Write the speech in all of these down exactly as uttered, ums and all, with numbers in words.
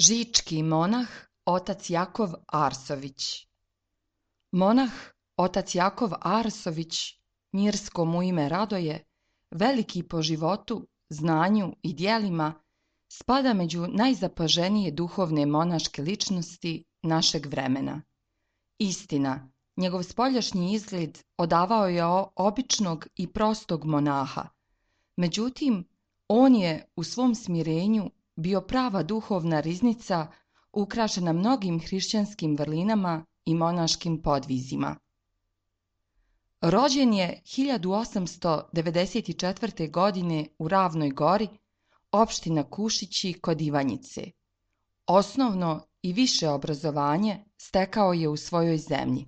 Žički monah otac Jakov Arsović. Monah otac Jakov Arsović, mirsko mu ime Radoje, veliki po životu, znanju i djelima, spada među najzapaženije duhovne monaške ličnosti našeg vremena. Istina, njegov spoljašnji izgled odavao je običnog i prostog monaha. Međutim, on je u svom smirenju bio prava duhovna riznica ukrašena mnogim hrišćanskim vrlinama i monaškim podvizima. Rođen je hiljadu osamsto devedeset četvrte. godine u Ravnoj Gori, opština Kušići kod Ivanjice. Osnovno i više obrazovanje stekao je u svojoj zemlji.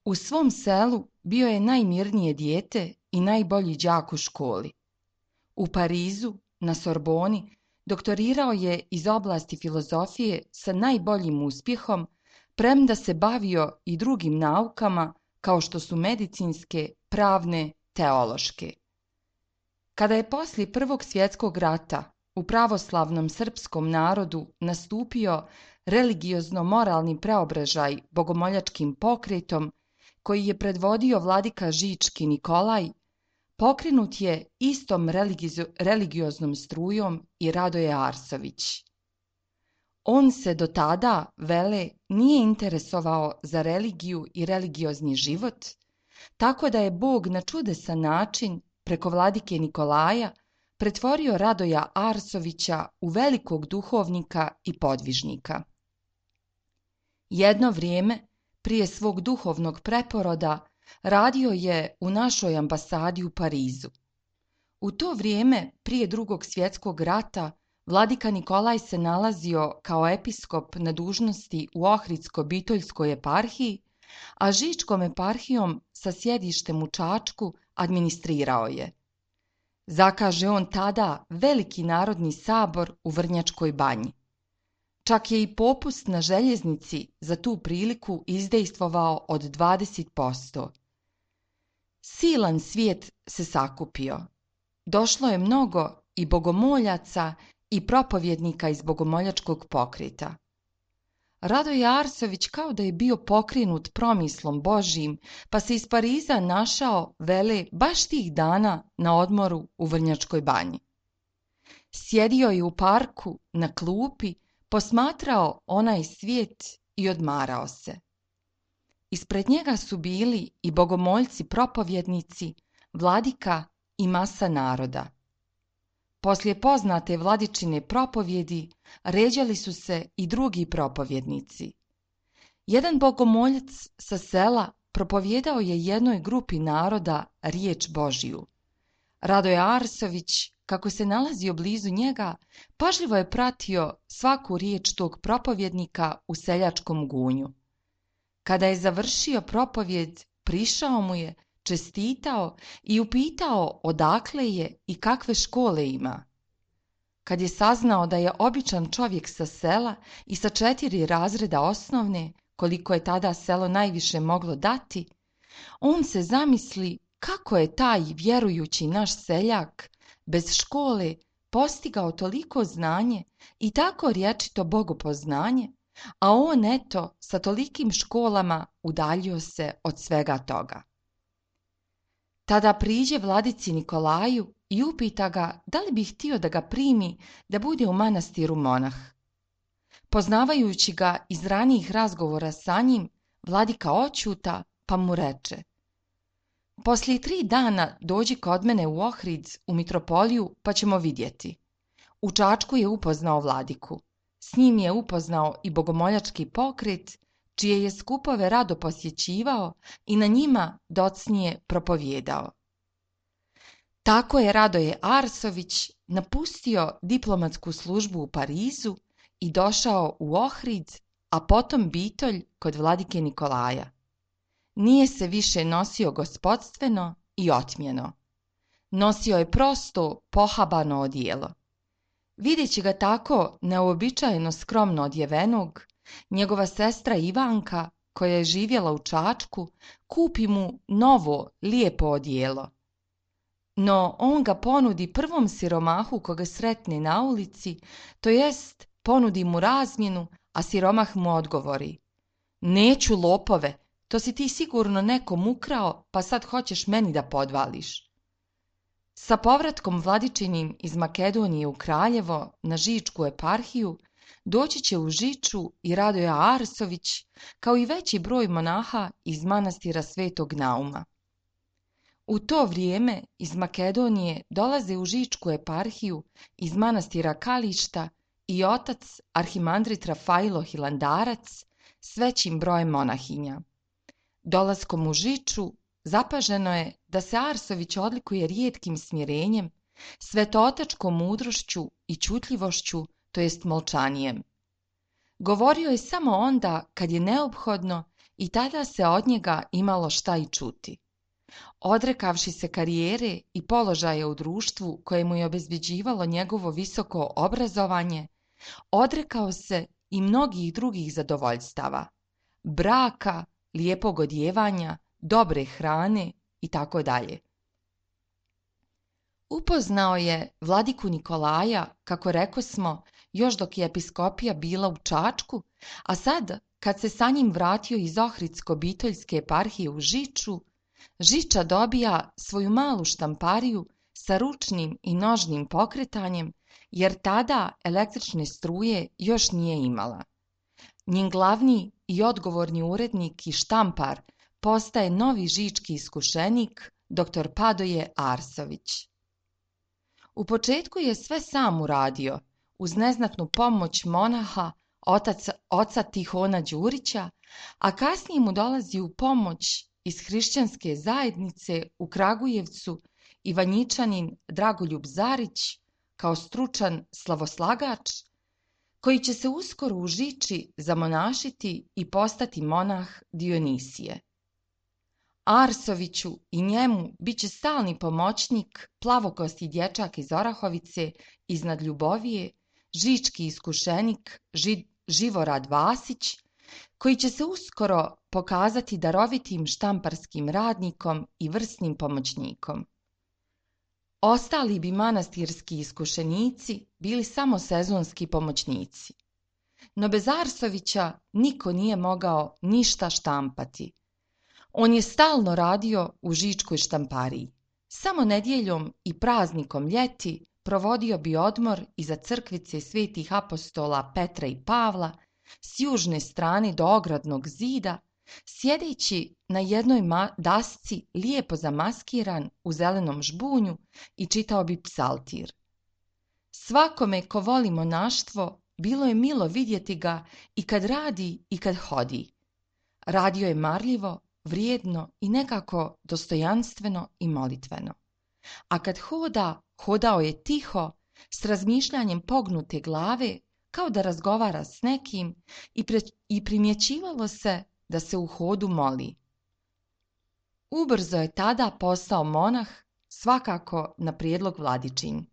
U svom selu bio je najmirnije dijete i najbolji đak u školi. U Parizu, na Sorboni, doktorirao je iz oblasti filozofije sa najboljim uspjehom, premda se bavio i drugim naukama kao što su medicinske, pravne, teološke. Kada je poslije Prvog svjetskog rata u pravoslavnom srpskom narodu nastupio religiozno-moralni preobražaj bogomoljačkim pokretom koji je predvodio vladika Žički Nikolaj, pokrenut je istom religio- religioznom strujom i Radoje Arsović. On se do tada, vele, nije interesovao za religiju i religiozni život, tako da je Bog na čudesan način, preko vladike Nikolaja, pretvorio Radoja Arsovića u velikog duhovnika i podvižnika. Jedno vrijeme, prije svog duhovnog preporoda, radio je u našoj ambasadi u Parizu. U to vrijeme, prije Drugog svjetskog rata, vladika Nikolaj se nalazio kao episkop na dužnosti u Ohridsko-Bitoljskoj eparhiji, a Žičkom eparhijom sa sjedištem u Čačku administrirao je. Zakaže on tada veliki narodni sabor u Vrnjačkoj banji. Čak je i popust na željeznici za tu priliku izdejstvovao od dvadeset posto. Silan svijet se sakupio. Došlo je mnogo i bogomoljaca i propovjednika iz bogomoljačkog pokreta. Radoje Arsović kao da je bio pokrenut promislom Božjim, pa se iz Pariza našao, vele, baš tih dana na odmoru u Vrnjačkoj banji. Sjedio je u parku, na klupi, posmatrao onaj svijet i odmarao se. Ispred njega su bili i bogomoljci propovjednici, vladika i masa naroda. Poslije poznate vladičine propovjedi ređali su se i drugi propovjednici. Jedan bogomoljac sa sela propovjedao je jednoj grupi naroda riječ Božju. Radoje Arsović, kako se nalazio blizu njega, pažljivo je pratio svaku riječ tog propovjednika u seljačkom gunju. Kada je završio propovjed, prišao mu je, čestitao i upitao odakle je i kakve škole ima. Kad je saznao da je običan čovjek sa sela i sa četiri razreda osnovne, koliko je tada selo najviše moglo dati, on se zamisli kako je taj vjerujući naš seljak bez škole postigao toliko znanje i tako rječito bogopoznanje, a on eto sa tolikim školama udaljio se od svega toga. Tada priđe vladici Nikolaju i upita ga da li bi htio da ga primi da bude u manastiru monah. Poznavajući ga iz ranijih razgovora sa njim, vladika oćuta pa mu reče: poslije tri dana dođi kod mene u Ohrid, u mitropoliju, pa ćemo vidjeti. U Čačku je upoznao vladiku. S njim je upoznao i bogomoljački pokret, čije je skupove rado posjećivao i na njima docnije propovjedao. Tako je Radoje Arsović napustio diplomatsku službu u Parizu i došao u Ohrid, a potom Bitolj kod vladike Nikolaja. Nije se više nosio gospodstveno i otmjeno. Nosio je prosto pohabano odijelo. Videći ga tako neuobičajeno skromno odjevenog, njegova sestra Ivanka, koja je živjela u Čačku, kupi mu novo, lijepo odijelo. No on ga ponudi prvom siromahu koga sretne na ulici, to jest ponudi mu razmjenu, a siromah mu odgovori: neću, lopove, to si ti sigurno nekom ukrao, pa sad hoćeš meni da podvališ. Sa povratkom Vladičinim iz Makedonije u Kraljevo na Žičku eparhiju doći će u Žiču i Radoje Arsović, kao i veći broj monaha iz manastira Svetog Nauma. U to vrijeme iz Makedonije dolaze u Žičku eparhiju iz manastira Kališta i otac arhimandrit Rafajlo Hilandarac s većim brojem monahinja. Dolaskom u Žiču zapaženo je da se Arsović odlikuje rijetkim smirenjem, svetootačkom mudrošću i ćutljivošću, to jest molčanijem. Govorio je samo onda kad je neophodno i tada se od njega imalo šta i čuti. Odrekavši se karijere i položaja u društvu koje mu je obezbeđivalo njegovo visoko obrazovanje, odrekao se i mnogih drugih zadovoljstava, braka, lijepog odjevanja, dobre hrane i tako dalje. Upoznao je vladiku Nikolaja, kako rekosmo, još dok je episkopija bila u Čačku, a sad, kad se sa njim vratio iz Ohridsko-Bitoljske eparhije u Žiču, Žiča dobija svoju malu štampariju sa ručnim i nožnim pokretanjem, jer tada električne struje još nije imala. Njen glavni i odgovorni urednik i štampar postaje novi žički iskušenik, doktor Padoje Arsović. U početku je sve sam uradio, uz neznatnu pomoć monaha, otac, oca Tihona Đurića, a kasnije mu dolazi u pomoć iz hrišćanske zajednice u Kragujevcu Ivanjičanin Dragoljub Zarić, kao stručan slavoslagač, koji će se uskoro u Žiči zamonašiti i postati monah Dionisije. Arsoviću i njemu bit će stalni pomoćnik plavokosti dječak iz Orahovice iznad Ljubovije, žički iskušenik Ži, Živorad Vasić, koji će se uskoro pokazati darovitim štamparskim radnikom i vrsnim pomoćnikom. Ostali bi manastirski iskušenici bili samo sezonski pomoćnici. No bez Arsovića niko nije mogao ništa štampati. On je stalno radio u žičkoj štampariji. Samo nedjeljom i praznikom ljeti provodio bi odmor iza crkvice svetih apostola Petra i Pavla s južne strane do ogradnog zida, sjedeći na jednoj dasci lijepo zamaskiran u zelenom žbunju i čitao bi psaltir. Svakome ko voli monaštvo bilo je milo vidjeti ga i kad radi i kad hodi. Radio je marljivo, vrijedno i nekako dostojanstveno i molitveno. A kad hoda, hodao je tiho, s razmišljanjem pognute glave, kao da razgovara s nekim i, pre, i primjećivalo se da se u hodu moli. Ubrzo je tada postao monah, svakako na prijedlog Vladičin.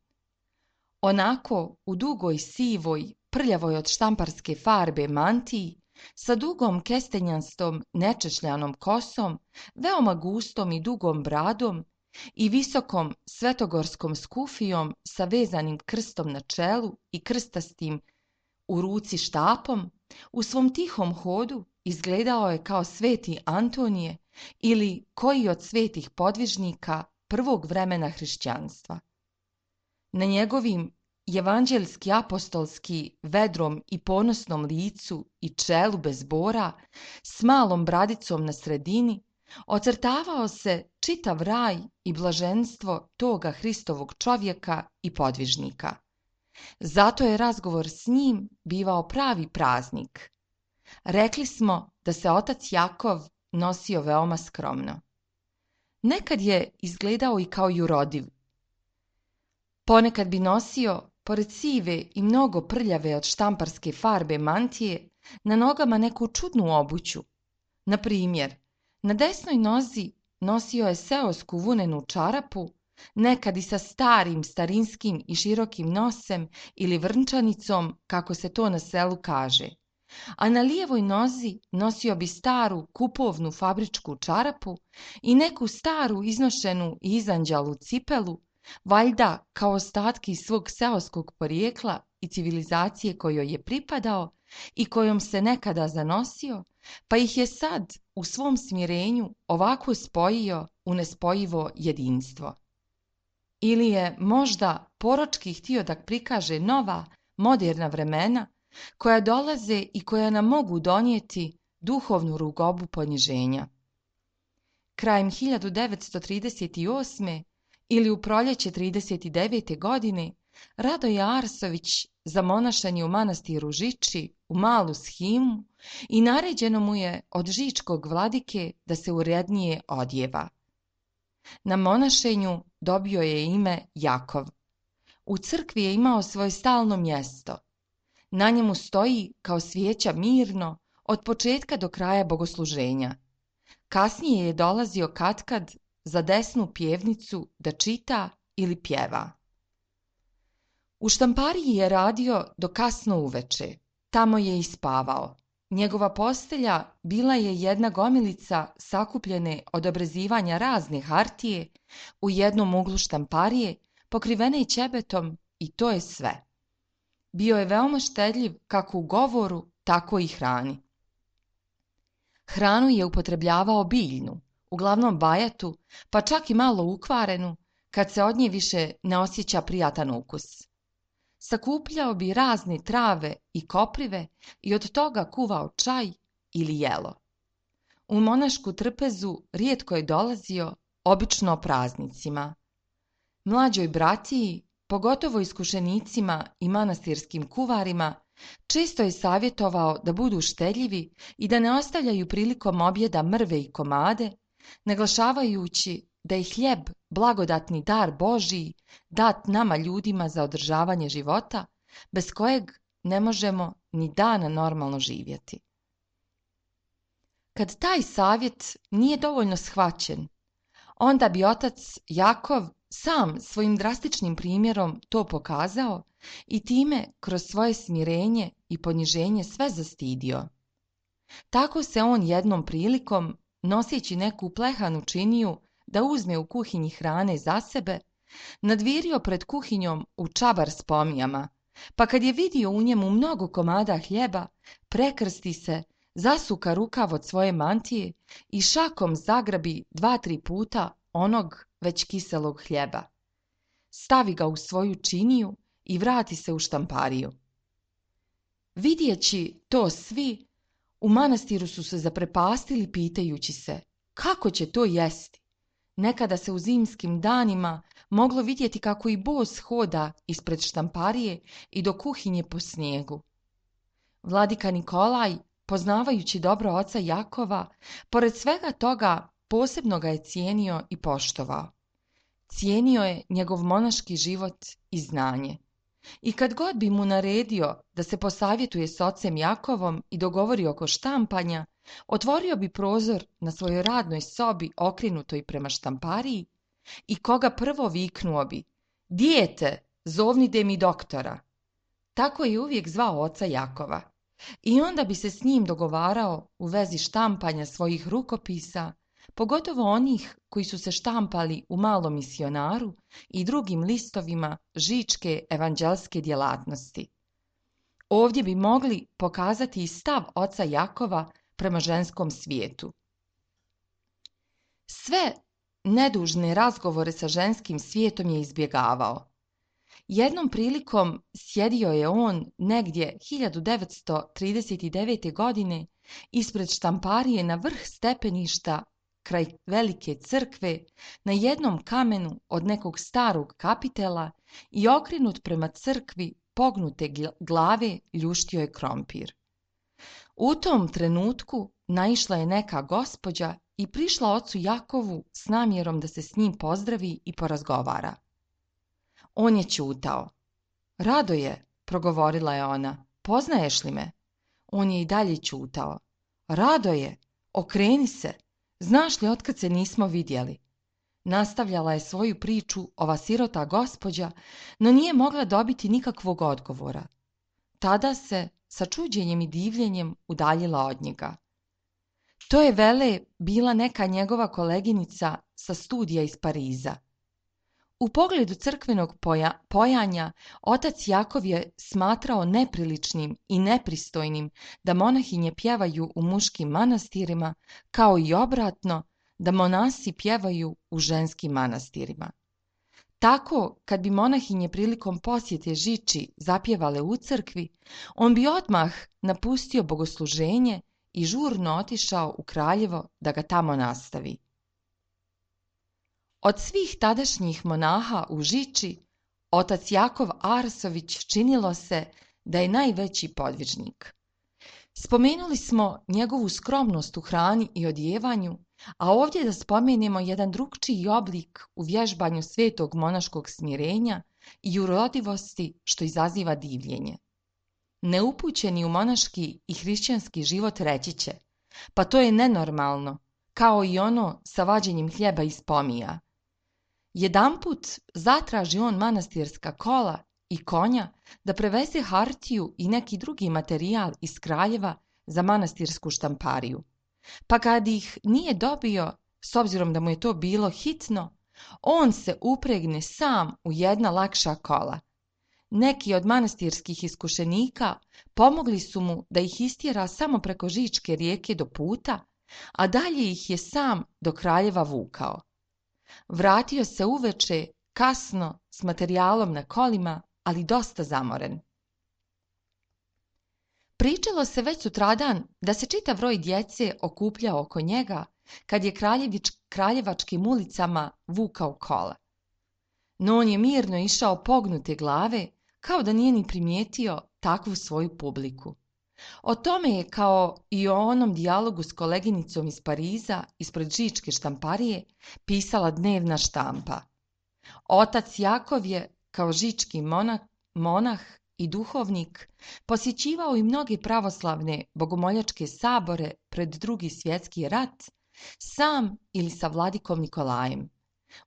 Onako u dugoj sivoj, prljavoj od štamparske farbe mantiji, sa dugom kestenjastom nečešljanom kosom, veoma gustom i dugom bradom i visokom svetogorskom skufijom sa vezanim krstom na čelu i krstastim u ruci štapom, u svom tihom hodu izgledao je kao sveti Antonije ili koji od svetih podvižnika prvog vremena hrišćanstva. Na njegovim evanđelski apostolski vedrom i ponosnom licu i čelu bez bora, s malom bradicom na sredini, ocrtavao se čitav raj i blaženstvo toga Hristovog čovjeka i podvižnika. Zato je razgovor s njim bivao pravi praznik. Rekli smo da se otac Jakov nosio veoma skromno. Nekad je izgledao i kao jurodiv. Ponekad bi nosio, pored sive i mnogo prljave od štamparske farbe mantije, na nogama neku čudnu obuću. Na primjer, na desnoj nozi nosio je seosku vunenu čarapu, nekad i sa starim, starinskim i širokim nosem ili vrnčanicom, kako se to na selu kaže. A na lijevoj nozi nosio bi staru kupovnu fabričku čarapu i neku staru iznošenu i izanđalu cipelu, valjda kao ostatki svog seoskog porijekla i civilizacije kojoj je pripadao i kojom se nekada zanosio, pa ih je sad u svom smirenju ovako spojio u nespojivo jedinstvo. Ili je možda poročki htio da prikaže nova, moderna vremena koja dolaze i koja nam mogu donijeti duhovnu rugobu poniženja. Krajem hiljadu devetsto trideset osme. ili u proljeće trideset devete. godine Radoje Arsović zamonašan je u manastiru Žiči u malu shimu i naređeno mu je od žičkog vladike da se urednije odjeva. Na monašenju dobio je ime Jakov. U crkvi je imao svoje stalno mjesto. Na njemu stoji kao svijeća mirno od početka do kraja bogosluženja. Kasnije je dolazio katkad za desnu pjevnicu da čita ili pjeva. U štampariji je radio do kasno uveče. Tamo je i spavao. Njegova postelja bila je jedna gomilica sakupljene od obrezivanja razne hartije u jednom uglu štamparije, pokrivene ćebetom, i to je sve. Bio je veoma štedljiv kako u govoru, tako i hrani. Hranu je upotrebljavao biljnu, uglavnom bajatu, pa čak i malo ukvarenu, kad se od nje više ne osjeća prijatan ukus. Sakupljao bi razne trave i koprive i od toga kuvao čaj ili jelo. U monašku trpezu rijetko je dolazio, obično praznicima. Mlađoj bratiji, pogotovo iskušenicima i manastirskim kuvarima, često je savjetovao da budu štedljivi i da ne ostavljaju prilikom objeda mrve i komade, naglašavajući da je hljeb blagodatni dar Božiji dat nama ljudima za održavanje života, bez kojeg ne možemo ni dana normalno živjeti. Kad taj savjet nije dovoljno shvaćen, onda bi otac Jakov sam svojim drastičnim primjerom to pokazao i time kroz svoje smirenje i poniženje sve zastidio. Tako se on jednom prilikom, noseći neku plehanu činiju da uzme u kuhinji hrane za sebe, nadvirio pred kuhinjom u čabar s pomijama, pa kad je vidio u njemu mnogo komada hljeba, prekrsti se, zasuka rukav od svoje mantije i šakom zagrabi dva, tri puta onog već kiselog hljeba. Stavi ga u svoju činiju i vrati se u štampariju. Vidjeći to svi, u manastiru su se zaprepastili pitajući se kako će to jesti. Nekada se u zimskim danima moglo vidjeti kako i bos hoda ispred štamparije i do kuhinje po snijegu. Vladika Nikolaj, poznavajući dobro oca Jakova, pored svega toga posebno ga je cijenio i poštovao. Cijenio je njegov monaški život i znanje. I kad god bi mu naredio da se posavjetuje s ocem Jakovom i dogovori oko štampanja, otvorio bi prozor na svojoj radnoj sobi okrenutoj prema štampariji i koga prvo viknuo bi: "Dijete, zovnite mi doktora." Tako je uvijek zvao oca Jakova. I onda bi se s njim dogovarao u vezi štampanja svojih rukopisa, pogotovo onih koji su se štampali u Malom misionaru i drugim listovima žičke evanđelske djelatnosti. Ovdje bi mogli pokazati i stav oca Jakova prema ženskom svijetu. Sve nedužne razgovore sa ženskim svijetom je izbjegavao. Jednom prilikom sjedio je on negdje hiljadu devetsto trideset devete. godine ispred štamparije na vrh stepeništa kraj velike crkve na jednom kamenu od nekog starog kapitela i okrenut prema crkvi pognute glave ljuštio je krompir. U tom trenutku naišla je neka gospođa i prišla ocu Jakovu s namjerom da se s njim pozdravi i porazgovara. On je ćutao. "Radoje," progovorila je ona, "poznaješ li me?" On je i dalje ćutao. "Radoje, okreni se, znaš li otkad se nismo vidjeli?" Nastavljala je svoju priču ova sirota gospođa, no nije mogla dobiti nikakvog odgovora. Tada se, sa čuđenjem i divljenjem, udaljila od njega. To je vele bila neka njegova koleginica sa studija iz Pariza. U pogledu crkvenog poja, pojanja, otac Jakov je smatrao nepriličnim i nepristojnim da monahinje pjevaju u muškim manastirima, kao i obratno, da monasi pjevaju u ženskim manastirima. Tako, kad bi monahinje prilikom posjete Žiči zapjevale u crkvi, on bi odmah napustio bogosluženje i žurno otišao u Kraljevo da ga tamo nastavi. Od svih tadašnjih monaha u Žiči, otac Jakov Arsović činilo se da je najveći podvižnik. Spomenuli smo njegovu skromnost u hrani i odjevanju, a ovdje da spomenemo jedan drukčiji oblik u vježbanju svetog monaškog smirenja i urodivosti što izaziva divljenje. Neupućeni u monaški i hrišćanski život reći će, pa to je nenormalno, kao i ono sa vađenjem hljeba iz pomija. Jedanput zatraži on manastirska kola i konja da preveze hartiju i neki drugi materijal iz Kraljeva za manastirsku štampariju. Pa kad ih nije dobio, s obzirom da mu je to bilo hitno, on se upregne sam u jedna lakša kola. Neki od manastirskih iskušenika pomogli su mu da ih istjera samo preko Žičke rijeke do puta, a dalje ih je sam do Kraljeva vukao. Vratio se uveče, kasno, s materijalom na kolima, ali dosta zamoren. Pričalo se već sutradan da se čitav roj djece okupljao oko njega kad je kraljevič, kraljevačkim ulicama vukao kola. No on je mirno išao pognute glave, kao da nije ni primijetio takvu svoju publiku. O tome je, kao i o onom dijalogu s koleginicom iz Pariza ispred Žičke štamparije, pisala dnevna štampa. Otac Jakov je, kao žički monah, monah i duhovnik, posjećivao i mnoge pravoslavne bogomoljačke sabore pred Drugi svjetski rat, sam ili sa vladikom Nikolajem.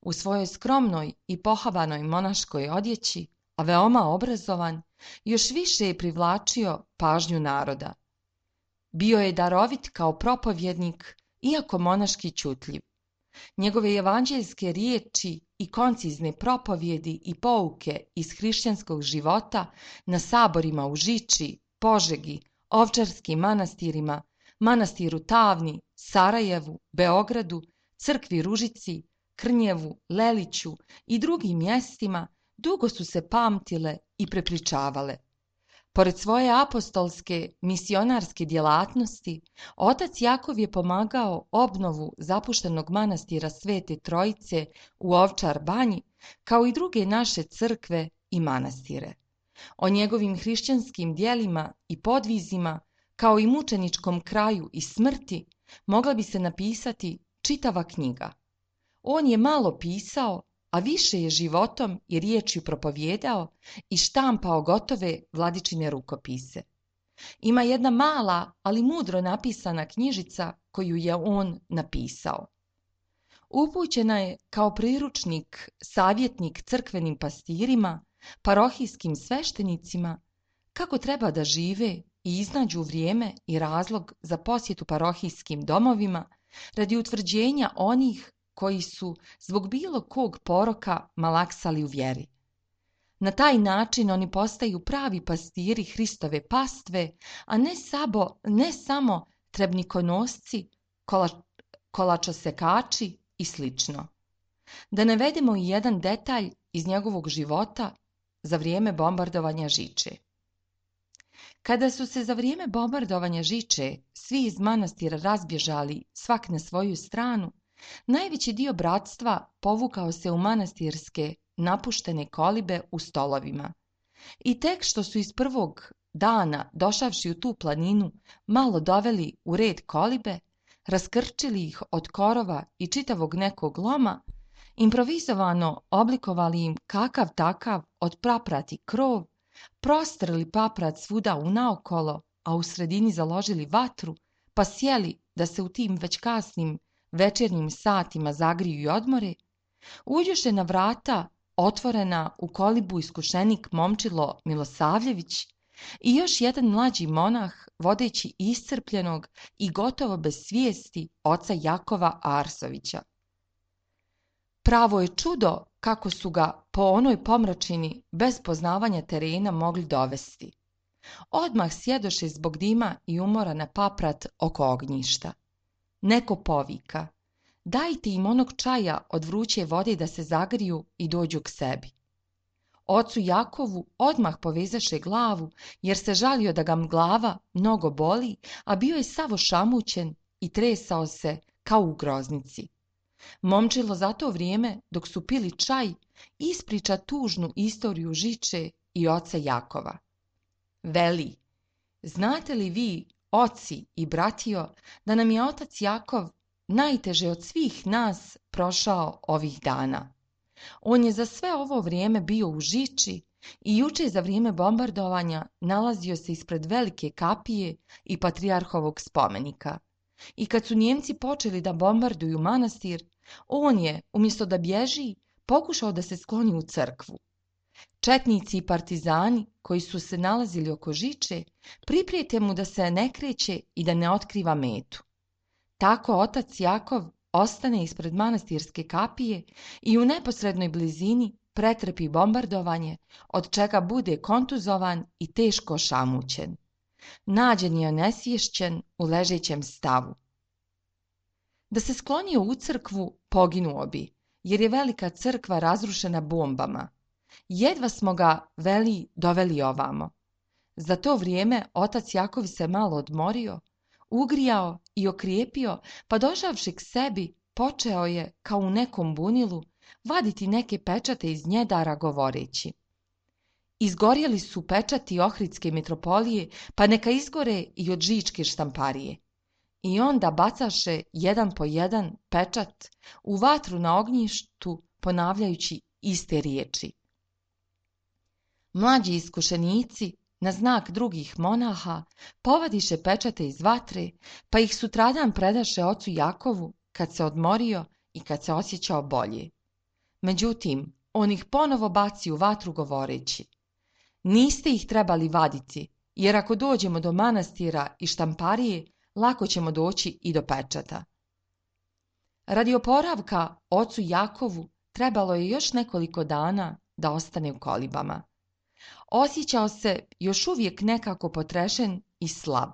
U svojoj skromnoj i pohavanoj monaškoj odjeći, a veoma obrazovan, još više je privlačio pažnju naroda. Bio je darovit kao propovjednik, iako monaški ćutljiv. Njegove evanđeljske riječi i koncizne propovjedi i pouke iz hrišćanskog života na saborima u Žiči, Požegi, Ovčarskim manastirima, manastiru Tavni, Sarajevu, Beogradu, crkvi Ružici, Krnjevu, Leliću i drugim mjestima dugo su se pamtile i prepričavale. Pored svoje apostolske misionarske djelatnosti, otac Jakov je pomagao obnovu zapuštenog manastira Svete Trojice u Ovčar Banji, kao i druge naše crkve i manastire. O njegovim hrišćanskim djelima i podvizima, kao i mučeničkom kraju i smrti, mogla bi se napisati čitava knjiga. On je malo pisao, a više je životom i riječju propovjedao i štampao gotove vladičine rukopise. Ima jedna mala, ali mudro napisana knjižica koju je on napisao. Upućena je kao priručnik, savjetnik crkvenim pastirima, parohijskim sveštenicima, kako treba da žive i iznađu vrijeme i razlog za posjetu parohijskim domovima radi utvrđenja onih koji su zbog bilo kog poroka malaksali u vjeri. Na taj način oni postaju pravi pastiri Hristove pastve, a ne, sabo, ne samo trebnikonosci, kola, kolačosekači i slično. Da navedemo i jedan detalj iz njegovog života za vrijeme bombardovanja Žiče. Kada su se za vrijeme bombardovanja Žiče svi iz manastira razbježali svak na svoju stranu, najveći dio bratstva povukao se u manastirske napuštene kolibe u stolovima. I tek što su iz prvog dana, došavši u tu planinu, malo doveli u red kolibe, raskrčili ih od korova i čitavog nekog loma, improvizovano oblikovali im kakav takav od praprati krov, prostrli paprat svuda unaokolo, a u sredini založili vatru, pa sjeli da se u tim već kasnim večernjim satima zagriju i odmore, uđoše na vrata otvorena u kolibu iskušenik momčilo Milosavljević i još jedan mlađi monah vodeći iscrpljenog i, i gotovo bez svijesti oca Jakova Arsovića. Pravo je čudo kako su ga po onoj pomračini bez poznavanja terena mogli dovesti. Odmah sjedoše zbog dima i umora na paprat oko ognjišta. Neko povika: dajte im onog čaja od vruće vode da se zagriju i dođu k sebi. Ocu Jakovu odmah povezaše glavu, jer se žalio da ga glava mnogo boli, a bio je sav ošamućen i tresao se kao u groznici. Momčilo za to vrijeme, dok su pili čaj, ispriča tužnu istoriju Žiče i oca Jakova. Veli: znate li vi, oci i bratio, da nam je otac Jakov najteže od svih nas prošao ovih dana. On je za sve ovo vrijeme bio u Žiči i juče za vrijeme bombardovanja nalazio se ispred velike kapije i patrijarhovog spomenika. I kad su Njemci počeli da bombarduju manastir, on je, umjesto da bježi, pokušao da se skloni u crkvu. Četnici i partizani, koji su se nalazili oko Žiče, priprijete mu da se ne kreće i da ne otkriva metu. Tako otac Jakov ostane ispred manastirske kapije i u neposrednoj blizini pretrpi bombardovanje, od čega bude kontuzovan i teško ošamućen. Nađen je onesvješćen u ležećem stavu. Da se sklonio u crkvu, poginuo bi, jer je velika crkva razrušena bombama. Jedva smo ga, veli, doveli ovamo. Za to vrijeme otac Jakov se malo odmorio, ugrijao i okrijepio, pa došavši k sebi, počeo je, kao u nekom bunilu, vaditi neke pečate iz njedara govoreći: izgorjeli su pečati Ohridske mitropolije, pa neka izgore i od Žičke štamparije. I onda bacaše jedan po jedan pečat u vatru na ognjištu, ponavljajući iste riječi. Mlađi iskušenici, na znak drugih monaha, povadiše pečate iz vatre, pa ih sutradan predaše ocu Jakovu kad se odmorio i kad se osjećao bolje. Međutim, on ih ponovo baci u vatru govoreći: niste ih trebali vaditi, jer ako dođemo do manastira i štamparije, lako ćemo doći i do pečata. Radi oporavka ocu Jakovu trebalo je još nekoliko dana da ostane u kolibama. Osjećao se još uvijek nekako potrešen i slab.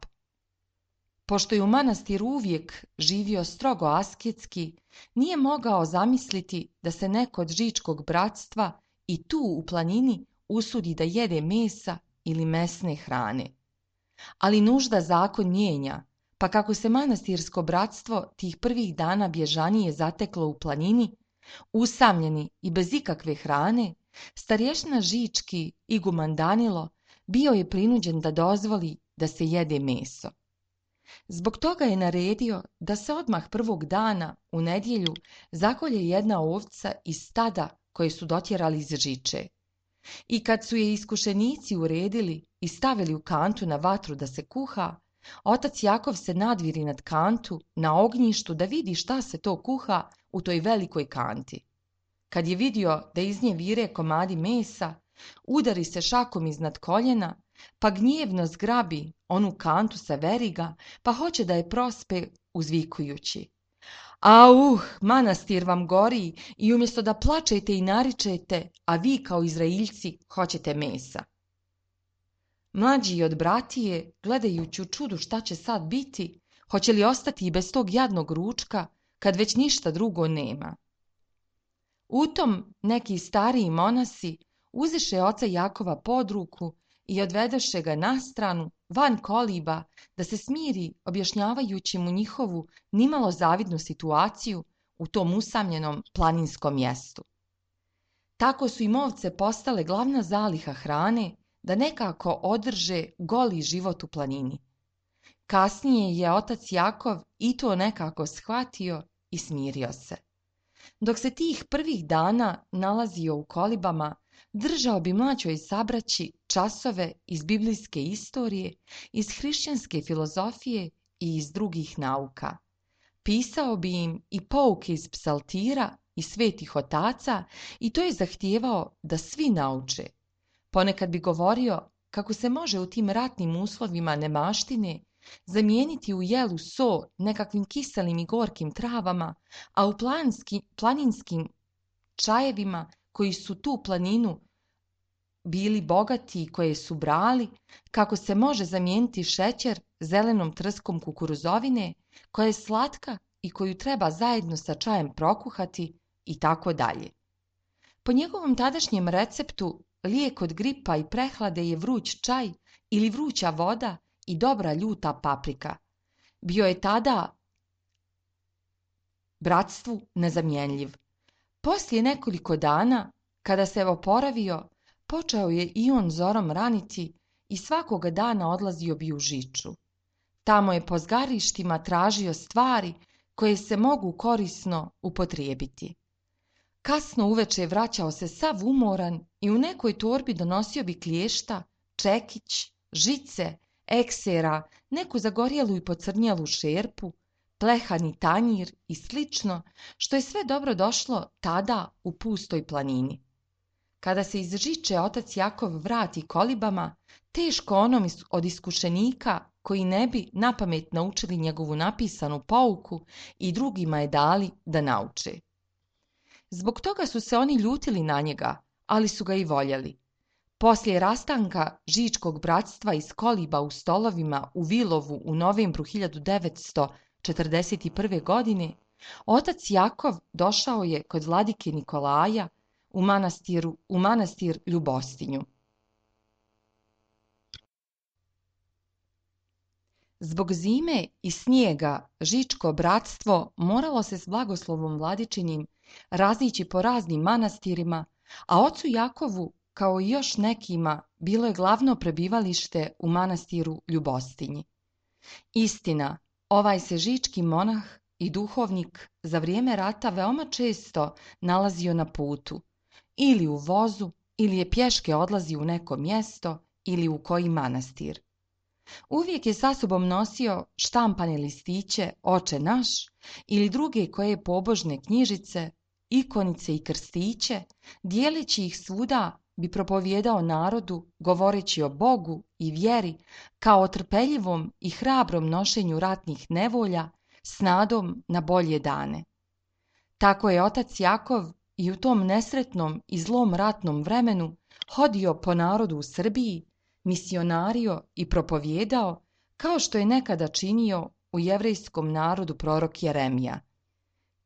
Pošto je u manastiru uvijek živio strogo asketski, nije mogao zamisliti da se neko od žičkog bratstva i tu u planini usudi da jede mesa ili mesne hrane. Ali nužda zakon mijenja, pa kako se manastirsko bratstvo tih prvih dana bježanije zateklo u planini, usamljeni i bez ikakve hrane, starješina Žički iguman Danilo bio je prinuđen da dozvoli da se jede meso. Zbog toga je naredio da se odmah prvog dana u nedjelju zakolje jedna ovca iz stada koje su dotjerali iz Žiče. I kad su je iskušenici uredili i stavili u kantu na vatru da se kuha, otac Jakov se nadviri nad kantu na ognjištu da vidi šta se to kuha u toj velikoj kanti. Kad je vidio da iz nje vire komadi mesa, udari se šakom iznad koljena, pa gnjevno zgrabi onu kantu sa veriga, pa hoće da je prospe uzvikujući: auh, manastir vam gori i umjesto da plačete i naričete, a vi kao Izraeljci hoćete mesa. Mlađi od bratije, gledajući u čudu šta će sad biti, hoće li ostati i bez tog jadnog ručka, kad već ništa drugo nema. U tom neki stariji monasi uzeše oca Jakova pod ruku i odvedeše ga na stranu, van koliba, da se smiri, objašnjavajući mu njihovu nimalo zavidnu situaciju u tom usamljenom planinskom mjestu. Tako su im ovce postale glavna zaliha hrane, da nekako održe goli život u planini. Kasnije je otac Jakov i to nekako shvatio i smirio se. Dok se tih prvih dana nalazio u kolibama, držao bi mlađoj sabraći časove iz biblijske istorije, iz hrišćanske filozofije i iz drugih nauka. Pisao bi im i pouke iz psaltira i svetih otaca i to je zahtijevao da svi nauče. Ponekad bi govorio kako se može u tim ratnim uslovima nemaštine zamijeniti u jelu so nekakvim kiselim i gorkim travama, a u planski, planinskim čajevima koji su tu planinu bili bogati i koje su brali, kako se može zamijeniti šećer zelenom trskom kukuruzovine, koja je slatka i koju treba zajedno sa čajem prokuhati i tako dalje. Po njegovom tadašnjem receptu, lijek od gripa i prehlade je vruć čaj ili vruća voda i dobra ljuta paprika. Bio je tada bratstvu nezamjenjiv. Poslije nekoliko dana, kada se oporavio, počeo je i on zorom raniti i svakoga dana odlazio bi u Žiču. Tamo je po zgarištima tražio stvari koje se mogu korisno upotrijebiti. Kasno uveče vraćao se sav umoran i u nekoj torbi donosio bi klješta, čekić, žice, eksera, neku zagorjelu i pocrnjelu šerpu, plehani tanjir i slično, što je sve dobro došlo tada u pustoj planini. Kada se iz Žiče otac Jakov vrati kolibama, teško onom od iskušenika koji ne bi napamet naučili njegovu napisanu pouku i drugima je dali da nauče. Zbog toga su se oni ljutili na njega, ali su ga i voljeli. Poslije rastanka Žičkog bratstva iz koliba u stolovima u Vilovu u novembru hiljadu devetsto četrdeset prve. godine, otac Jakov došao je kod vladike Nikolaja u, manastiru, u manastir Ljubostinju. Zbog zime i snijega Žičko bratstvo moralo se s blagoslovom vladičinim razići po raznim manastirima, a ocu Jakovu, kao i još nekima, bilo je glavno prebivalište u manastiru Ljubostinji. Istina, ovaj se žički monah i duhovnik za vrijeme rata veoma često nalazio na putu, ili u vozu, ili je pješke odlazio u neko mjesto ili u koji manastir. Uvijek je sa sobom nosio štampane listiće Oče naš ili druge koje pobožne knjižice, ikonice i krstiće, dijeleći ih svuda bi propovijedao narodu, govoreći o Bogu i vjeri kao o trpeljivom i hrabrom nošenju ratnih nevolja s nadom na bolje dane. Tako je otac Jakov i u tom nesretnom i zlom ratnom vremenu hodio po narodu u Srbiji, misionario i propovijedao, kao što je nekada činio u jevrejskom narodu prorok Jeremija.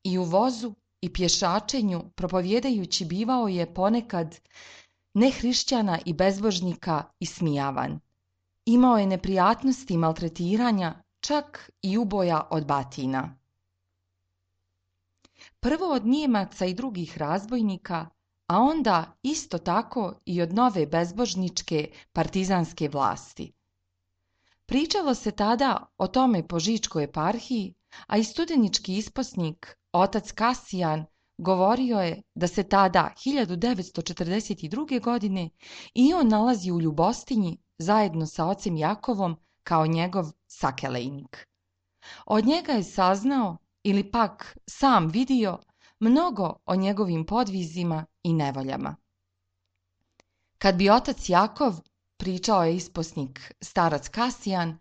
I u vozu i pješačenju propovijedajući bivao je ponekad nehrišćana i bezbožnika ismijavan. Imao je neprijatnosti i maltretiranja, čak i uboja od batina. Prvo od Nijemaca i drugih razbojnika, a onda isto tako i od nove bezbožničke partizanske vlasti. Pričalo se tada o tome po Žičkoj eparhiji, a i studenički isposnik, otac Kasijan, govorio je da se tada hiljadu devetsto četrdeset druge. godine i on nalazi u Ljubostinji zajedno sa ocem Jakovom kao njegov sakelejnik. Od njega je saznao ili pak sam vidio mnogo o njegovim podvizima i nevoljama. Kad bi otac Jakov, pričao je isposnik starac Kasijan,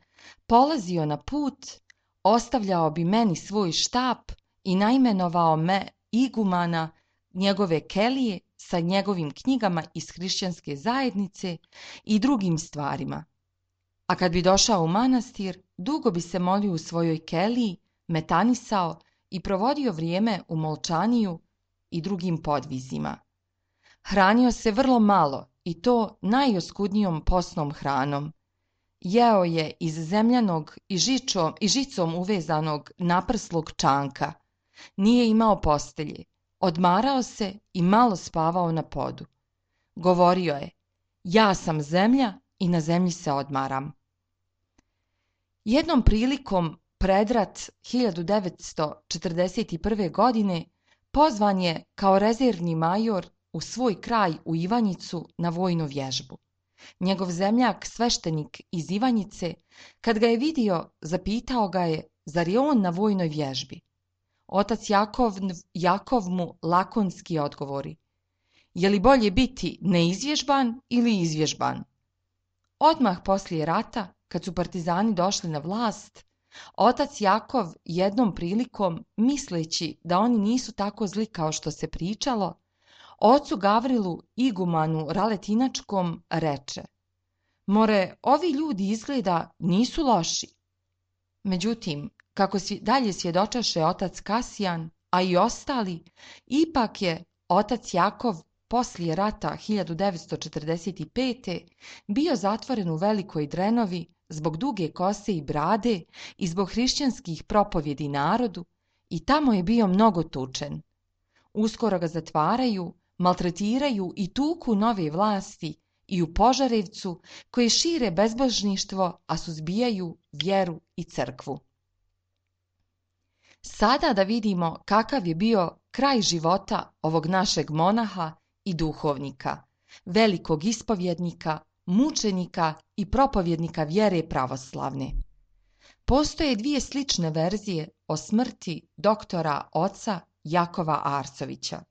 polazio na put, ostavljao bi meni svoj štap i naimenovao me igumana njegove kelije sa njegovim knjigama iz hrišćanske zajednice i drugim stvarima. A kad bi došao u manastir, dugo bi se molio u svojoj keliji, metanisao i provodio vrijeme u molčaniju i drugim podvizima. Hranio se vrlo malo i to najoskudnijom posnom hranom. Jeo je iz zemljanog i, žičom, i žicom uvezanog naprslog čanka. Nije imao postelje, odmarao se i malo spavao na podu. Govorio je, ja sam zemlja i na zemlji se odmaram. Jednom prilikom pred rat hiljadu devetsto četrdeset prve. godine pozvan je kao rezervni major u svoj kraj u Ivanjicu na vojnu vježbu. Njegov zemljak, sveštenik iz Ivanjice, kad ga je vidio, zapitao ga je, zar je on na vojnoj vježbi? Otac Jakov, Jakov mu lakonski odgovori, je li bolje biti neizvježban ili izvježban? Odmah poslije rata, kad su partizani došli na vlast, otac Jakov jednom prilikom, misleći da oni nisu tako zli kao što se pričalo, Ocu Gavrilu igumanu Raletinačkom reče: more, ovi ljudi izgleda nisu loši. Međutim, kako si dalje svjedočaše otac Kasijan, a i ostali, ipak je otac Jakov poslije rata hiljadu devetsto četrdeset pete. bio zatvoren u Velikoj Drenovi zbog duge kose i brade i zbog hrišćanskih propovjedi narodu, i tamo je bio mnogo tučen. Uskoro ga zatvaraju, maltretiraju i tuku nove vlasti i u Požarevcu, koje šire bezbožništvo, a suzbijaju vjeru i crkvu. Sada da vidimo kakav je bio kraj života ovog našeg monaha i duhovnika, velikog ispovjednika, mučenika i propovjednika vjere pravoslavne. Postoje dvije slične verzije o smrti doktora oca Jakova Arsovića.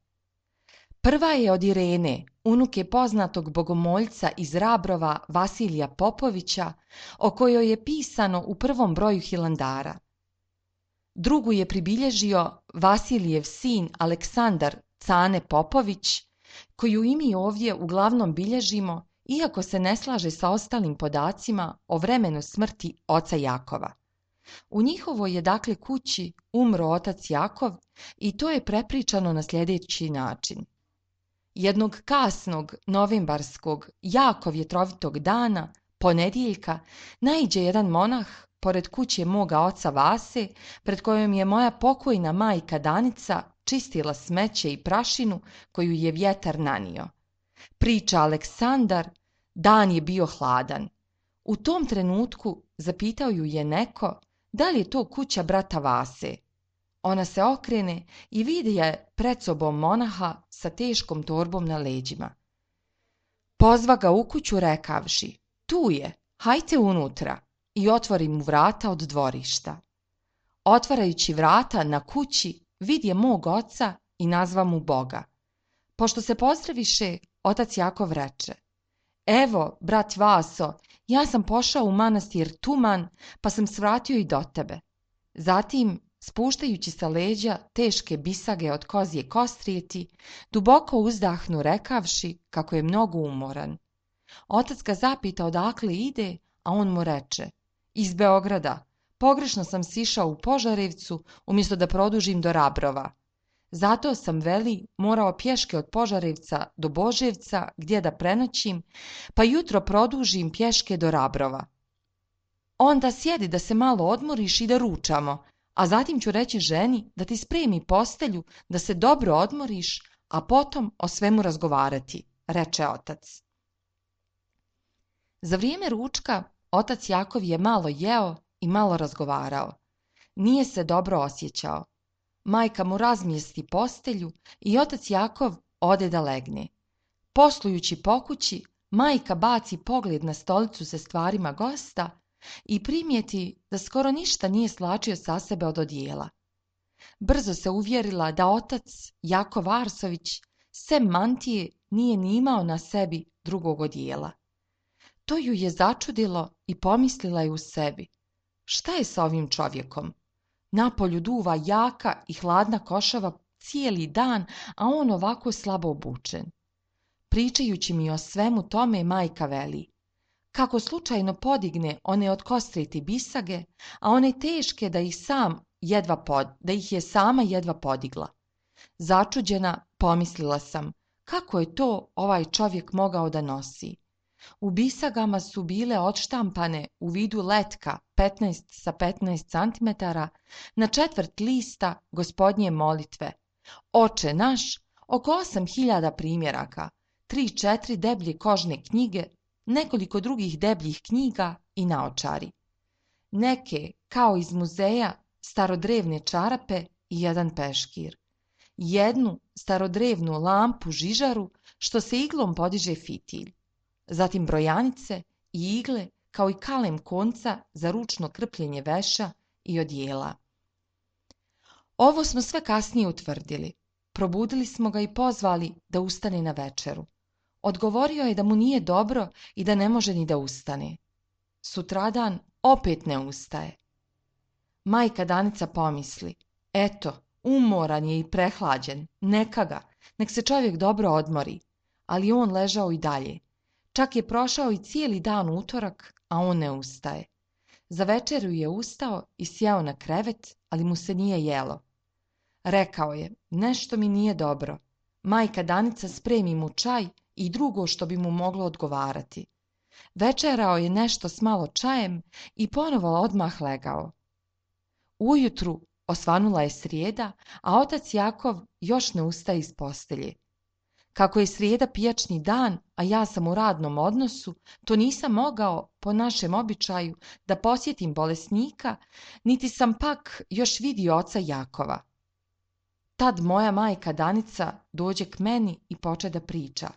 Prva je od Irene, unuke poznatog bogomoljca iz Rabrova Vasilija Popovića, o kojoj je pisano u prvom broju Hilandara. Drugu je pribilježio Vasilijev sin Aleksandar Cane Popović, koju i mi ovdje uglavnom bilježimo, iako se ne slaže sa ostalim podacima o vremenu smrti oca Jakova. U njihovoj je dakle kući umro otac Jakov i to je prepričano na sljedeći način. Jednog kasnog novembarskog, jako vjetrovitog dana, ponedjeljka, naiđe jedan monah pored kuće moga oca Vase, pred kojom je moja pokojna majka Danica čistila smeće i prašinu koju je vjetar nanio. Priča Aleksandar, dan je bio hladan. U tom trenutku zapitao ju je neko da li je to kuća brata Vase. Ona se okrene i vidi je pred sobom monaha sa teškom torbom na leđima. Pozva ga u kuću rekavši: tu je, hajte unutra, i otvori mu vrata od dvorišta. Otvarajući vrata na kući, vidje mog oca i nazva mu Boga. Pošto se pozdraviše, otac Jakov reče: evo, brat Vaso, ja sam pošao u manastir Tuman, pa sam svratio i do tebe. Zatim, spuštajući sa leđa teške bisage od kozje kostrijeti, duboko uzdahnu rekavši kako je mnogo umoran. Otac ga zapita odakle ide, a on mu reče: iz Beograda, pogrešno sam sišao u Požarevcu umjesto da produžim do Rabrova. Zato sam, veli, morao pješke od Požarevca do Boževca gdje da prenoćim, pa jutro produžim pješke do Rabrova. Onda sjedi da se malo odmoriš i da ručamo, a zatim ću reći ženi da ti spremi postelju, da se dobro odmoriš, a potom o svemu razgovarati, reče otac. Za vrijeme ručka otac Jakov je malo jeo i malo razgovarao. Nije se dobro osjećao. Majka mu razmjesti postelju i otac Jakov ode da legne. Poslujući po kući, majka baci pogled na stolicu sa stvarima gosta i primijeti da skoro ništa nije slačio sa sebe od odijela. Brzo se uvjerila da otac Jakov Arsović sem mantije nije ni imao na sebi drugog odijela. To ju je začudilo i pomislila je u sebi: šta je sa ovim čovjekom? Napolju duva jaka i hladna košava cijeli dan, a on ovako slabo obučen. Pričajući mi o svemu tome, majka veli: kako slučajno podigne one od kostriti bisage, a one teške da ih sam jedva pod, da ih je sama jedva podigla. Začuđena pomislila sam: kako je to ovaj čovjek mogao da nosi? U bisagama su bile odštampane u vidu letka petnaest sa petnaest centimetara na četvrt lista Gospodnje molitve, Oče naš, oko osam hiljada primjeraka, tri četiri deblje kožne knjige, nekoliko drugih debljih knjiga i naočari. Neke, kao iz muzeja, starodrevne čarape i jedan peškir. Jednu starodrevnu lampu žižaru što se iglom podiže fitilj. Zatim brojanice i igle, kao i kalem konca za ručno krpljenje veša i odijela. Ovo smo sve kasnije utvrdili. Probudili smo ga i pozvali da ustane na večeru. Odgovorio je da mu nije dobro i da ne može ni da ustane. Sutradan opet ne ustaje. Majka Danica pomisli: eto, umoran je i prehlađen, neka ga, nek se čovjek dobro odmori, ali on ležao i dalje. Čak je prošao i cijeli dan utorak, a on ne ustaje. Za večeru je ustao i sjeo na krevet, ali mu se nije jelo. Rekao je, nešto mi nije dobro. Majka Danica spremi mu čaj i drugo što bi mu moglo odgovarati. Večerao je nešto s malo čajem i ponovo odmah legao. Ujutru osvanula je srijeda, a otac Jakov još ne ustaje iz postelje. Kako je srijeda pijačni dan, a ja sam u radnom odnosu, to nisam mogao, po našem običaju, da posjetim bolesnika, niti sam pak još vidio oca Jakova. Tad moja majka Danica dođe k meni i poče da priča.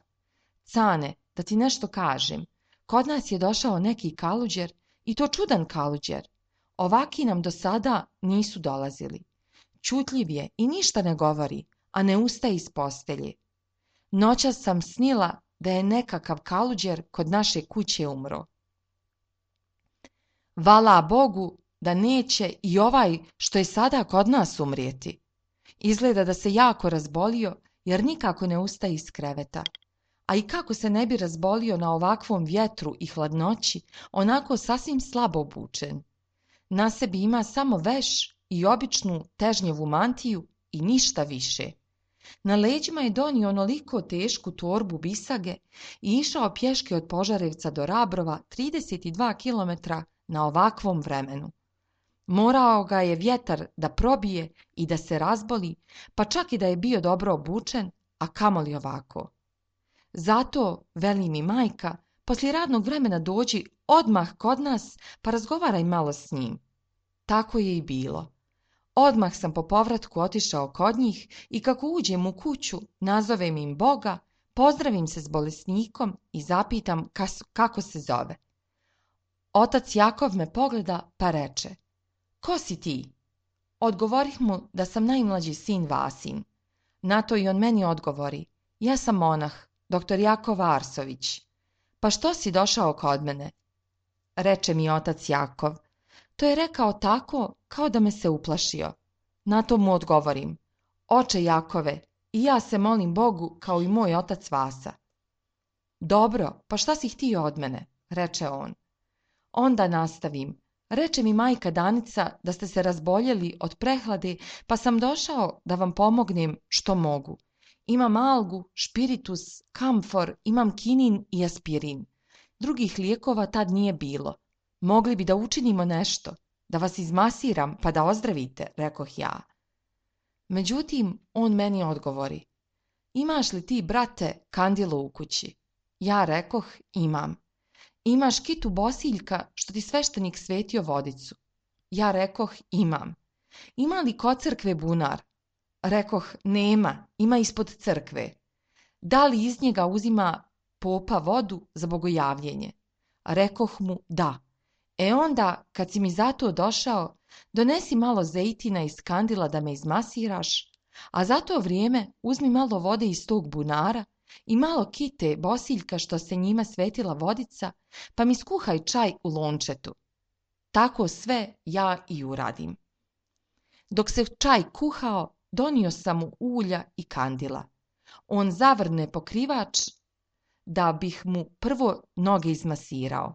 Cane, da ti nešto kažem, kod nas je došao neki kaluđer, i to čudan kaluđer. Ovaki nam do sada nisu dolazili. Ćutljiv je i ništa ne govori, a ne ustaje iz postelje. Noćas sam snila da je nekakav kaluđer kod naše kuće umro. Vala Bogu da neće i ovaj što je sada kod nas umrijeti. Izgleda da se jako razbolio jer nikako ne ustaje iz kreveta. A i kako se ne bi razbolio na ovakvom vjetru i hladnoći, onako sasvim slabo obučen. Na sebi ima samo veš i običnu težnjevu mantiju i ništa više. Na leđima je donio onoliko tešku torbu bisage i išao pješke od Požarevca do Rabrova trideset dva kilometra na ovakvom vremenu. Morao ga je vjetar da probije i da se razboli, pa čak i da je bio dobro obučen, a kamoli ovako. Zato, veli mi majka, poslije radnog vremena dođi odmah kod nas pa razgovaraj malo s njim. Tako je i bilo. Odmah sam po povratku otišao kod njih i kako uđem u kuću, nazovem im Boga, pozdravim se s bolesnikom i zapitam kas, kako se zove. Otac Jakov me pogleda pa reče, ko si ti? Odgovorih mu da sam najmlađi sin Vasin. Na to i on meni odgovori, ja sam monah, doktor Jakov Arsović. Pa što si došao kod mene? Reče mi otac Jakov. To je rekao tako kao da me se uplašio. Na to mu odgovorim, oče Jakove, i ja se molim Bogu kao i moj otac Vasa. Dobro, pa šta si htio od mene? Reče on. Onda nastavim. Reče mi majka Danica da ste se razboljeli od prehlade, pa sam došao da vam pomognem što mogu. Imam algu, špiritus, kamfor, imam kinin i aspirin. Drugih lijekova tad nije bilo. Mogli bi da učinimo nešto, da vas izmasiram pa da ozdravite, rekoh ja. Međutim, on meni odgovori, imaš li ti, brate, kandilo u kući? Ja rekoh, imam. Imaš kitu bosiljka što ti sveštenik svetio vodicu? Ja rekoh, imam. Ima li kod crkve bunar? Rekoh, nema, ima ispod crkve. Da li iz njega uzima popa vodu za bogojavljenje? Rekoh mu, da. E onda, kad si mi za to došao, donesi malo zejtina iz kandila da me izmasiraš, a za to vrijeme uzmi malo vode iz tog bunara i malo kite bosiljka što se njima svetila vodica, pa mi skuhaj čaj u lončetu. Tako sve ja i uradim. Dok se čaj kuhao, donio sam mu ulja i kandila. On zavrne pokrivač da bih mu prvo noge izmasirao.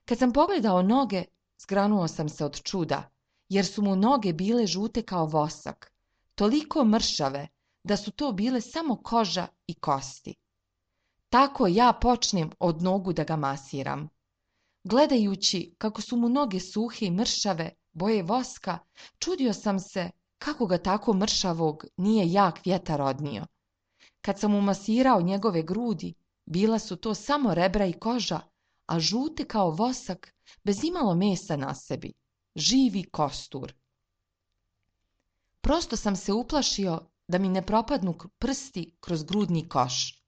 Kad sam pogledao noge, zgranuo sam se od čuda, jer su mu noge bile žute kao vosak, toliko mršave da su to bile samo koža i kosti. Tako ja počnem od nogu da ga masiram. Gledajući kako su mu noge suhe i mršave, boje voska, čudio sam se kako ga tako mršavog nije jak vjetar odnio. Kad sam mu masirao njegove grudi, bila su to samo rebra i koža, a žute kao vosak, bez imalo mesa na sebi, živi kostur. Prosto sam se uplašio da mi ne propadnu prsti kroz grudni koš.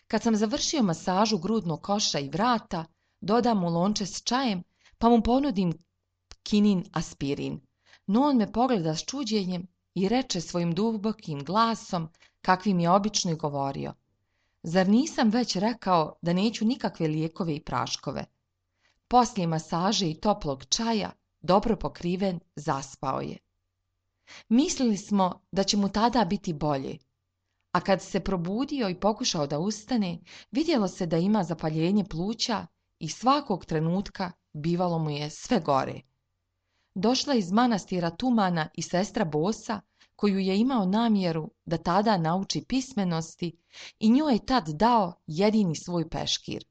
Kad sam završio masažu grudnog koša i vrata, dodam mu lonče s čajem, pa mu ponudim kinin aspirin. No on me pogleda s čuđenjem i reče svojim dubokim glasom, kakvim je obično i govorio. Zar nisam već rekao da neću nikakve lijekove i praškove? Poslije masaže i toplog čaja, dobro pokriven, zaspao je. Mislili smo da će mu tada biti bolje, a kad se probudio i pokušao da ustane, vidjelo se da ima zapaljenje pluća i svakog trenutka bivalo mu je sve gore. Došla iz manastira Tumana i sestra Bosa, koju je imao namjeru da tada nauči pismenosti, i njoj je tad dao jedini svoj peškir.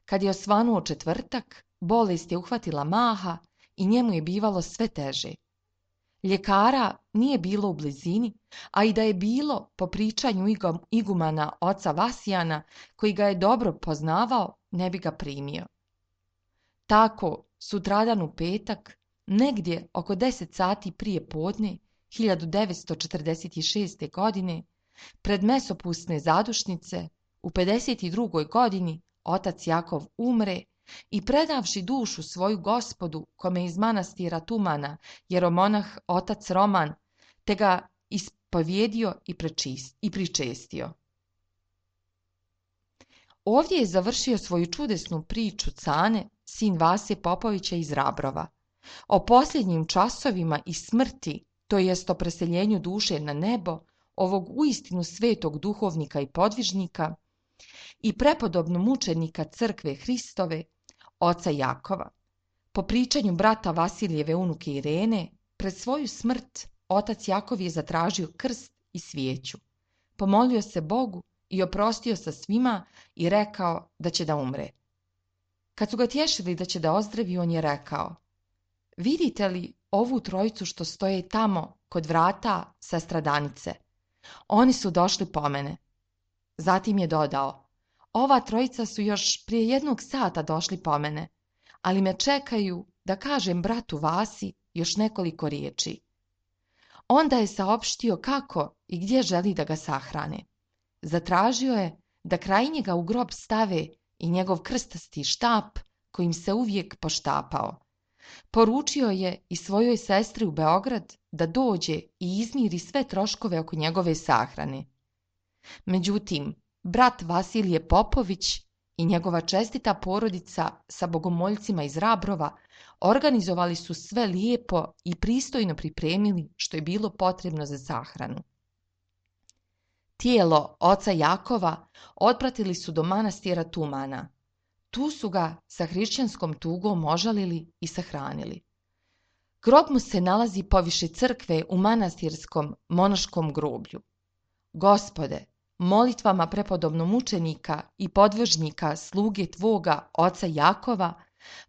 Kad je osvanuo četvrtak, bolest je uhvatila maha i njemu je bivalo sve teže. Ljekara nije bilo u blizini, a i da je bilo, po pričanju igumana oca Vasijana, koji ga je dobro poznavao, ne bi ga primio. Tako, sutradan u petak, negdje oko deset sati prije podne, hiljadu devetsto četrdeset šeste. godine, pred mesopusne zadušnice, u pedeset drugoj. godini, otac Jakov umre i predavši dušu svoju Gospodu, kome iz manastira Tumana jeromonah otac Roman, te ga ispovjedio i, prečist, i pričestio. Ovdje je završio svoju čudesnu priču Cane, sin Vase Popovića iz Rabrova, o posljednjim časovima i smrti, to jest o preseljenju duše na nebo, ovog uistinu svetog duhovnika i podvižnika i prepodobnog mučenika crkve Hristove, oca Jakova. Po pričanju brata Vasilijeve unuke Irene, pred svoju smrt otac Jakov je zatražio krst i svijeću. Pomolio se Bogu i oprostio sa svima i rekao da će da umre. Kad su ga tješili da će da ozdravi, on je rekao: vidite li ovu trojicu što stoje tamo kod vrata sestradanice? Oni su došli po mene. Zatim je dodao: ova trojica su još prije jednog sata došli po mene, ali me čekaju da kažem bratu Vasi još nekoliko riječi. Onda je saopštio kako i gdje želi da ga sahrane. Zatražio je da kraj njega u grob stave i njegov krstasti štap kojim se uvijek poštapao. Poručio je i svojoj sestri u Beograd da dođe i izmiri sve troškove oko njegove sahrane. Međutim, brat Vasilije Popović i njegova čestita porodica sa bogomoljcima iz Rabrova organizovali su sve lijepo i pristojno pripremili što je bilo potrebno za sahranu. Tijelo oca Jakova otpratili su do manastira Tumana. Tu su ga sa hrišćanskom tugom ožalili i sahranili. Grob mu se nalazi poviše crkve u manastirskom monaškom groblju. Gospode, molitvama prepodobnog mučenika i podvržnika sluge tvoga oca Jakova,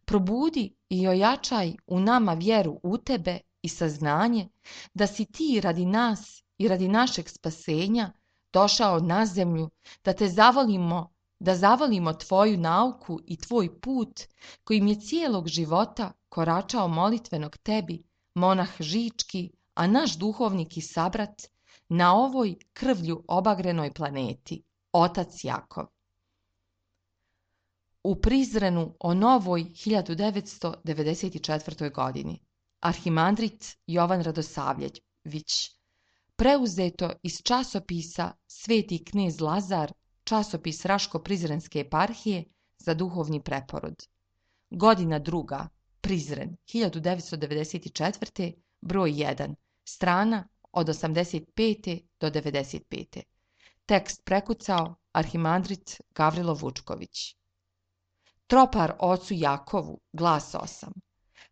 probudi i ojačaj u nama vjeru u tebe i saznanje da si ti radi nas i radi našeg spasenja došao na zemlju, da te zavolimo, da zavolimo tvoju nauku i tvoj put kojim je cijelog života koračao molitvenog tebi, monah Žički, a naš duhovnik i sabrat, na ovoj krvlju obagrenoj planeti, otac Jakov. U Prizrenu o novoj hiljadu devetsto devedeset četvrtoj. godini, arhimandrit Jovan Radosavljević, preuzeto iz časopisa Sveti knez Lazar, časopis Raško-Prizrenske eparhije za duhovni preporod. Godina druga, Prizren, hiljadu devetsto devedeset četvrte. broj jedan, strana od osamdeset pete do devedeset pete. Tekst prekucao arhimandrit Gavrilo Vučković. Tropar ocu Jakovu, glas osam.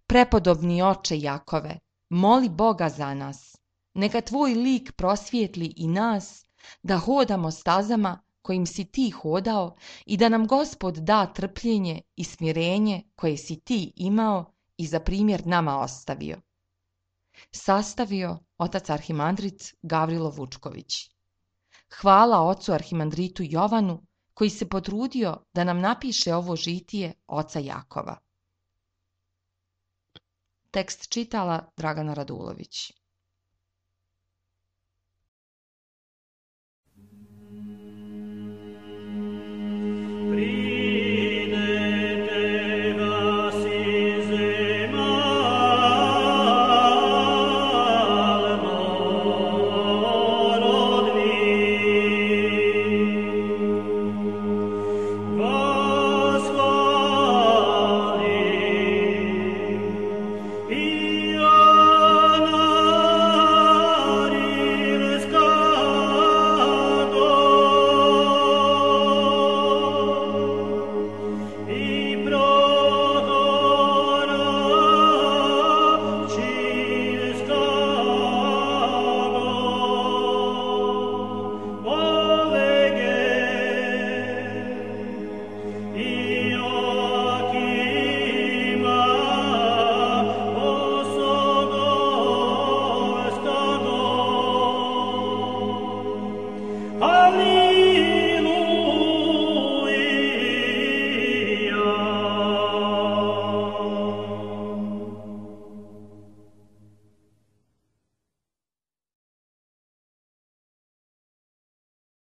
Prepodobni oče Jakove, moli Boga za nas. Neka tvoj lik prosvijetli i nas, da hodamo stazama kojim si ti hodao i da nam Gospod da trpljenje i smirenje koje si ti imao i za primjer nama ostavio. Sastavio otac arhimandrit Gavrilo Vučković. Hvala ocu arhimandritu Jovanu koji se potrudio da nam napiše ovo žitije oca Jakova. Tekst čitala Dragana Radulović.